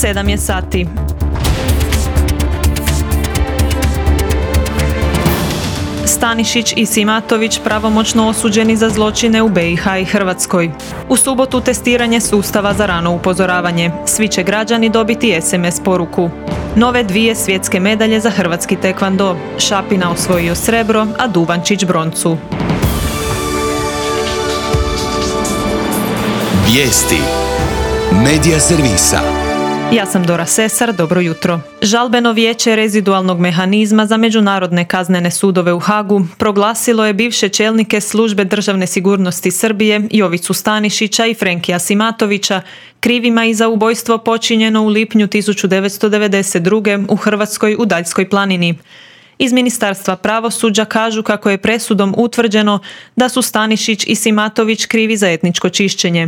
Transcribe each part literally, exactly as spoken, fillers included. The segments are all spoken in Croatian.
sedam je sati. Stanišić i Simatović pravomoćno osuđeni za zločine u be i ha i Hrvatskoj. U subotu testiranje sustava za rano upozoravanje. Svi će građani dobiti es em es poruku. Nove dvije svjetske medalje za hrvatski tekvando. Šapina osvojio srebro, a Duvančić broncu. Vijesti Medija servisa. Ja sam Dora Sesar, dobro jutro. Žalbeno vijeće rezidualnog mehanizma za međunarodne kaznene sudove u Hagu proglasilo je bivše čelnike službe državne sigurnosti Srbije Jovicu Stanišića i Frenkija Simatovića krivima i za ubojstvo počinjeno u lipnju tisuću devetsto devedeset druge. u Hrvatskoj u Daljskoj planini. Iz Ministarstva pravosuđa kažu kako je presudom utvrđeno da su Stanišić i Simatović krivi za etničko čišćenje.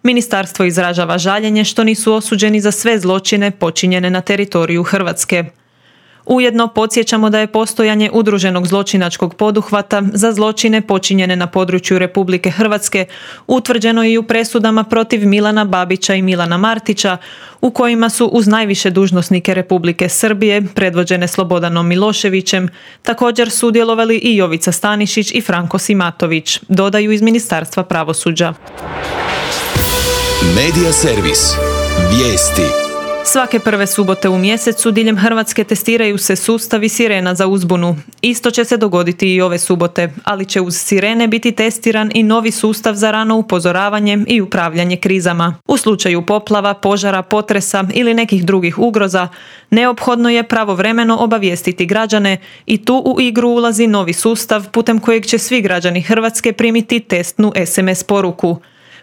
Ministarstvo izražava žaljenje što nisu osuđeni za sve zločine počinjene na teritoriju Hrvatske. Ujedno podsjećamo da je postojanje udruženog zločinačkog poduhvata za zločine počinjene na području Republike Hrvatske utvrđeno i u presudama protiv Milana Babića i Milana Martića, u kojima su uz najviše dužnosnike Republike Srbije, predvođene Slobodanom Miloševićem, također sudjelovali i Jovica Stanišić i Franko Simatović, dodaju iz Ministarstva pravosuđa. Medija servis. Vijesti. Svake prve subote u mjesecu diljem Hrvatske testiraju se sustavi sirena za uzbunu. Isto će se dogoditi i ove subote, ali će uz sirene biti testiran i novi sustav za rano upozoravanje i upravljanje krizama. U slučaju poplava, požara, potresa ili nekih drugih ugroza, neophodno je pravovremeno obavijestiti građane i tu u igru ulazi novi sustav putem kojeg će svi građani Hrvatske primiti testnu es em es poruku.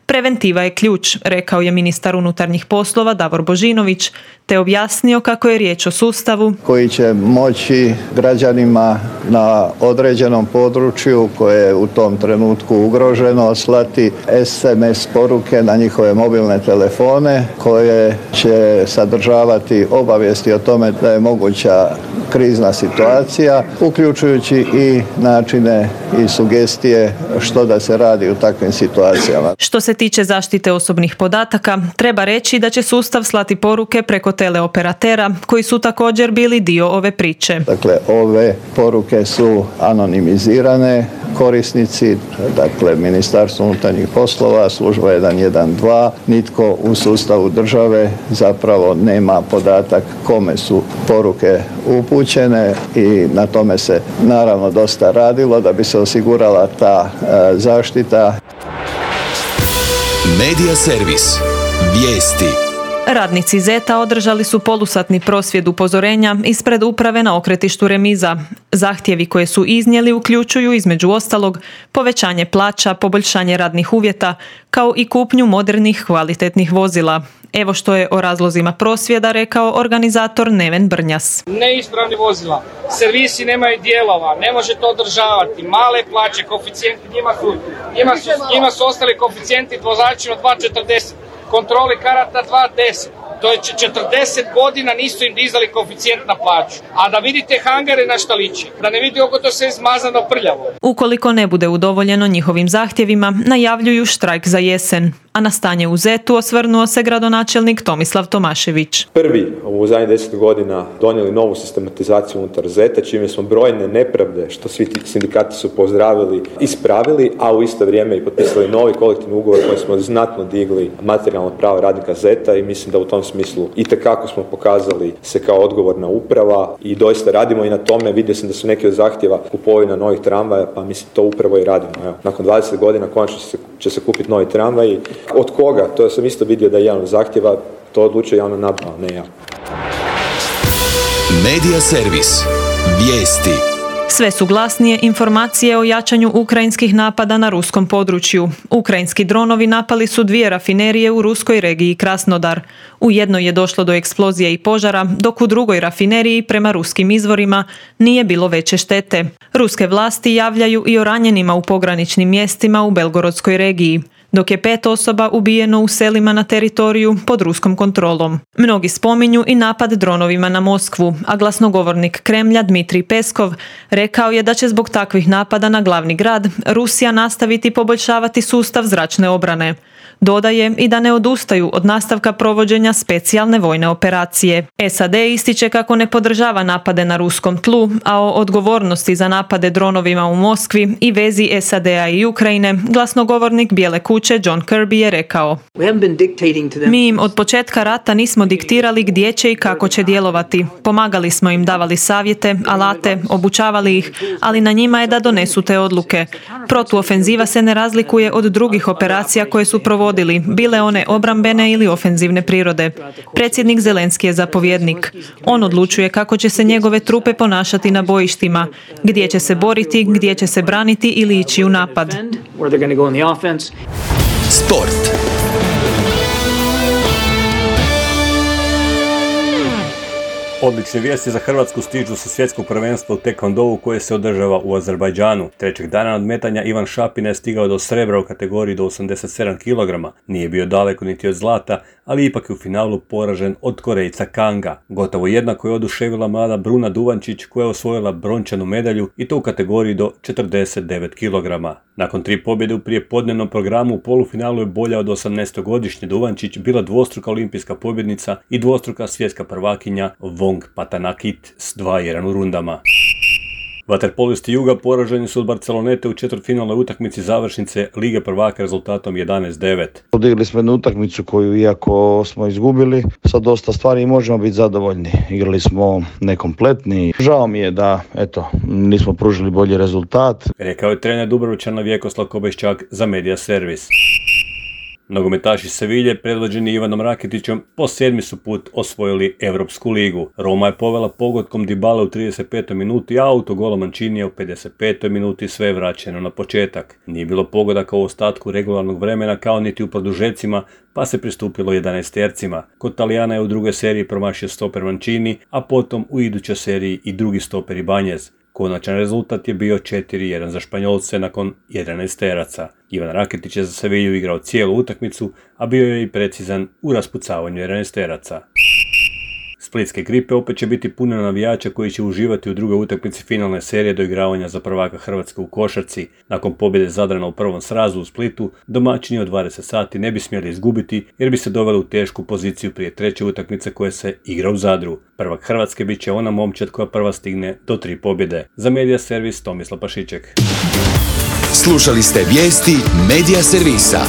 Preventiva je ključ, rekao je ministar unutarnjih poslova Davor Božinović, te objasnio kako je riječ o sustavu koji će moći građanima na određenom području koje je u tom trenutku ugroženo slati es em es poruke na njihove mobilne telefone koje će sadržavati obavijesti o tome da je moguća krizna situacija, uključujući i načine i sugestije što da se radi u takvim situacijama. Što se tiče zaštite osobnih podataka, treba reći da će sustav slati poruke preko teleoperatera koji su također bili dio ove priče. Dakle, ove poruke su anonimizirane, korisnici, dakle Ministarstvo unutarnjih poslova, služba jedan jedan dva, nitko u sustavu države zapravo nema podatak kome su poruke upućene i na tome se naravno dosta radilo da bi se osigurala ta e, zaštita. Medija servis. Vijesti. Radnici Zeta održali su polusatni prosvjed upozorenja ispred uprave na okretištu Remiza. Zahtjevi koje su iznijeli uključuju između ostalog povećanje plaća, poboljšanje radnih uvjeta, kao i kupnju modernih kvalitetnih vozila. Evo što je o razlozima prosvjeda rekao organizator Neven Brnjas. Neispravni vozila, servisi nemaju dijelova, ne može to održavati, male plaće, koeficijenti, njima su, njima su, njima su ostali koeficijenti vozačima dva četrdeset, kontroli karata dva deset. To je četrdeset godina nisu im dizali koeficijent na plaću. A da vidite hangare na šta liči, da ne vidite oko to sve zmazano prljavo. Ukoliko ne bude udovoljeno njihovim zahtjevima, najavljuju štrajk za jesen. A na stanje u Zetu osvrnuo se gradonačelnik Tomislav Tomašević. Prvi u zadnjih deset godina donijeli novu sistematizaciju unutar Zeta, čime smo brojne nepravde, što svi ti sindikati su pozdravili, ispravili, a u isto vrijeme i potpisali novi kolektivni ugovor koji smo znatno digli materijalno pravo radnika Zeta i mislim da u tom smislu itekako smo pokazali se kao odgovorna uprava i doista radimo i na tome. Vidio sam da su neki od zahtjeva kupovina novih tramvaja, pa mislim to upravo i radimo. Evo, nakon dvadeset godina konačno će se, će se kupiti novi tramvaj. Od koga? To sam isto vidio da je jedan od zahtjeva, to odlučuje javna nabava, ne ja. Medija servis. Vijesti. Sve su glasnije informacije o jačanju ukrajinskih napada na ruskom području. Ukrajinski dronovi napali su dvije rafinerije u ruskoj regiji Krasnodar. U jednoj je došlo do eksplozije i požara, dok u drugoj rafineriji, prema ruskim izvorima, nije bilo veće štete. Ruske vlasti javljaju i o ranjenima u pograničnim mjestima u Belgorodskoj regiji, dok je pet osoba ubijeno u selima na teritoriju pod ruskom kontrolom. Mnogi spominju i napad dronovima na Moskvu, a glasnogovornik Kremlja Dmitrij Peskov rekao je da će zbog takvih napada na glavni grad Rusija nastaviti poboljšavati sustav zračne obrane. Dodaje i da ne odustaju od nastavka provođenja specijalne vojne operacije. S A D ističe kako ne podržava napade na ruskom tlu, a o odgovornosti za napade dronovima u Moskvi i vezi S A D-a i Ukrajine glasnogovornik Bijele kuće John Kirby je rekao: Mi im od početka rata nismo diktirali gdje će i kako će djelovati. Pomagali smo im, davali savjete, alate, obučavali ih, ali na njima je da donesu te odluke. Protuofenziva se ne razlikuje od drugih operacija koje su provodili, bile one obrambene ili ofenzivne prirode. Predsjednik Zelenski je zapovjednik. On odlučuje kako će se njegove trupe ponašati na bojištima, gdje će se boriti, gdje će se braniti ili ići u napad. Sport. Odlične vijesti za Hrvatsku stižu sa svjetskog prvenstva u tekvondou koje se održava u Azerbajdžanu. Trećeg dana nadmetanja Ivan Šapina je stigao do srebra u kategoriji do osamdeset sedam kilograma. Nije bio daleko niti od zlata, ali ipak je u finalu poražen od Korejca Kanga. Gotovo jednako je oduševila mlada Bruna Duvančić koja je osvojila brončanu medalju i to u kategoriji do četrdeset devet kilograma. Nakon tri pobjede u prijepodnevnom programu u polufinalu je bolja od osamnaestogodišnje Duvančić bila dvostruka olimpijska pobjednica i dvostruka svjetska prvakinja Wong Patanakit s dva jedan u rundama. Vaterpolisti Juga poraženi su od Barcelonete u četvrtfinalnoj utakmici završnice Lige prvaka rezultatom jedanaest devet. Odigrali smo jednu utakmicu koju, iako smo izgubili, sa dosta stvari možemo biti zadovoljni. Igrali smo nekompletni. Žao mi je da eto, nismo pružili bolji rezultat. Rekao je trener Dubrovčana Vjekoslav Kobeščak za Media Servis. Nogometaši Sevilje, predvođeni Ivanom Rakitićem, po sedmi su put osvojili Europsku ligu. Roma je povela pogodkom Dybale u trideset petoj minuti, a autogolom Mancinija u pedeset petoj minuti, sve je vraćeno na početak. Nije bilo pogodaka u ostatku regularnog vremena kao niti u produžecima, pa se pristupilo jedanaestercima. Kod Talijana je u drugoj seriji promašio stoper Mancini, a potom u idućoj seriji i drugi stoper Ibanez. Konačan rezultat je bio četiri jedan za Španjolce nakon jedanaesteraca. Ivan Rakitić je za Sevilju igrao cijelu utakmicu, a bio je i precizan u raspucavanju jedanaesteraca. Splitske Gripe opet će biti puno navijača koji će uživati u drugoj utakmici finalne serije doigravanja za prvaka Hrvatske u košarci. Nakon pobjede Zadrana u prvom srazu u Splitu, domaćini od dvadeset sati ne bi smjeli izgubiti jer bi se doveli u tešku poziciju prije treće utakmice koje se igra u Zadru. Prvak Hrvatske bit će ona momčad koja prva stigne do tri pobjede. Za Media Servis Tomislav Pašiček. Slušali ste vijesti Media Servisa.